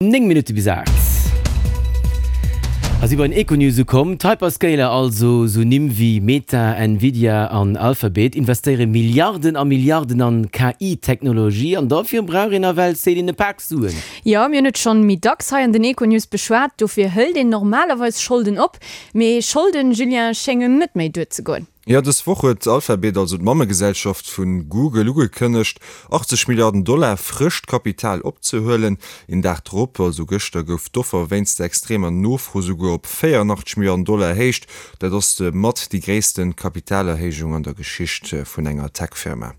9 Minutte bis 8 a si bei den Econews ukomm. D'Hyperscaler, also sou Nimm wéi Meta, Nvidia an Alphabet, investéiere Milliarden a Milliarden an KI-Technologie an dofir brauch een nawell, Céline, e Pak Suen. Jo, mir hunn et schonn méi dacks hei an den Econews beschwat, dofir hëlt een normalerweis Scholden op. Mee Scholden, Julien, schéngen net méi duerzegoen. Jo, dës Woch huet Alphabet, also d'Mammegesellschaft vu Google, ugekënnegt, 80 Milliarden Dollar frëscht Kapital opzehuelen. Een Dag drop, also gëschter, gouf d'Offer wéinst der extremer Nofro souguer op 84 Milliarden Dollar erhéicht. Dat ass mat déi gréisste Kapitalerhéijung an der Geschicht vun enger Tech-Firma.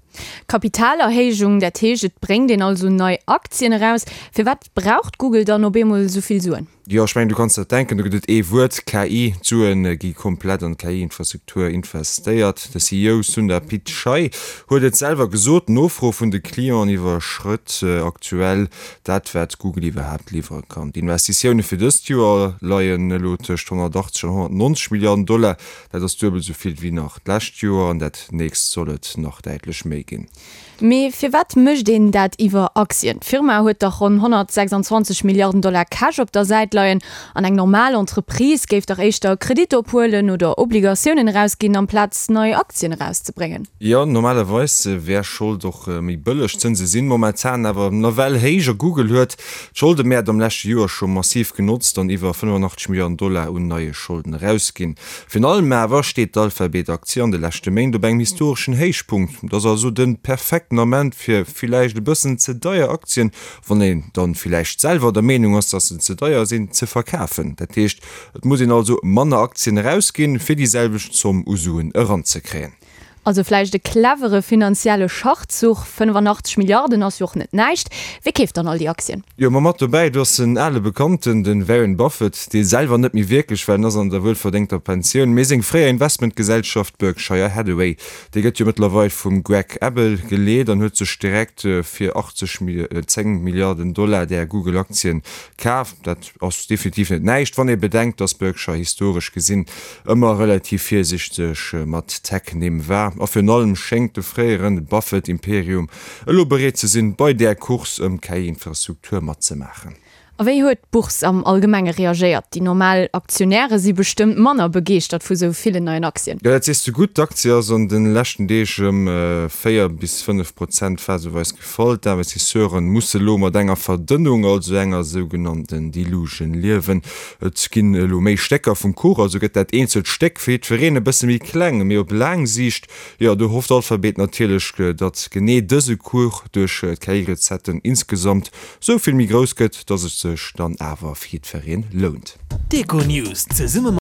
Kapitalerhéijung, dat heescht, et bréngt een also nei Aktien eraus. Firwat braucht Google dann op eemol esou vill Suen? Jo, ech mengen, du kanns der denken, do gëtt et ee Wuert, KI. D'Sue gi komplett an d'KI-Infrastruktur investéiert. De CEO Sundar Pichai huet et selwer gesot, D'Nofro vun de Clienten iwwerschrëtt aktuell dat, wat Google iwwerhaapt liwwere kann. D'Investitioune fir dëst Joer leien elo tëscht 180 an 190 Milliarden Dollar. Dat ass duebel esou vill wéi nach d'lescht Joer an dat nächst soll et nach däitlech méi ginn. Mee firwat mécht een dat iwwer Aktien? D'Firma huet dach ronn 126 Milliarden Dollar Cash op der Säit leien an eng normal Entreprise géif dach éischter Kredit ophuelen oder Obligatiounen erausginn amplaz nei Aktien erauszebréngen. Jo, normalerweis wär Schold och méi bëlleg. D'Zënse sinn momentan awer nawell héich a Google huet d'Scholdemäert am leschte Joer scho massiv genotzt an iwwer 85 Milliarden Dollar un neie Scholden erausginn. Virun allem awer steet d'Alphabet-Aktie an de leschte Méint op engem historeschen Héichpunkt. Et ass also de perfekten Ament fir villäicht e bëssen ze deier Aktien, wann een dann villäicht selwer der Meenung ass, dass se ze deier sinn, ze verkafen. Dat heescht, et muss een also manner Aktien erausginn, fir déi selwecht Zomm u Suen eranzekréien. Also vläicht e clevere finanzielle Schachzuch, 85 Milliarden ass jo och net näischt. Wie keeft dann all déi Aktien? Jo, ma mat dobäi, do ass en ale Bekannten, de Warren Buffett, dee selwer net méi wierklech, well en ass an der wuelverdéngter Pensioun, mee seng fréier Investmentgesellschaft Berkshire Hathaway, déi gëtt jo mëttlerweil vum Greg Abel geleet an huet sech direkt fir 80, 10 Milliarden Dollar där Google-Aktien kaf. Dat ass definitiv net näischt, wann ee bedenkt, dass Berkshire historesch gesinn ëmmer relativ virsichteg mat Tech-Nimm war a virun allem schéngt de fréiere Buffett-Imperium elo bereet ze sinn, bei där Course ëm KI-Infrastruktur matzemaachen. A wéi huet d'Bourse am Allgemenge reagéiert? Déi normal Aktionäre si bestëmmt manner begeeschtert vu sou villen neien Aktien. Jo, dat sees de gutt. D'Aktie ass an de leschten Deeg ëm 4 bis 5 Prozent phaseweis gefall. D'Investisseure musse lo mat enger Verdënnung, also enger sougenannten Dilution liewen. Et ginn elo méi Stécker vum Kuch, also gëtt dat eenzelt Stéck fir jiddwereen e bësse méi kleng. Mee op laang Siicht, jo, do hofft Alphabet natierlech, datt genee dëse Kuch duerch d'KI-Recetten insgesamt sou vill méi grouss gëtt, datt et sech dann awer fir jiddweree lount. D'Econews zesumme.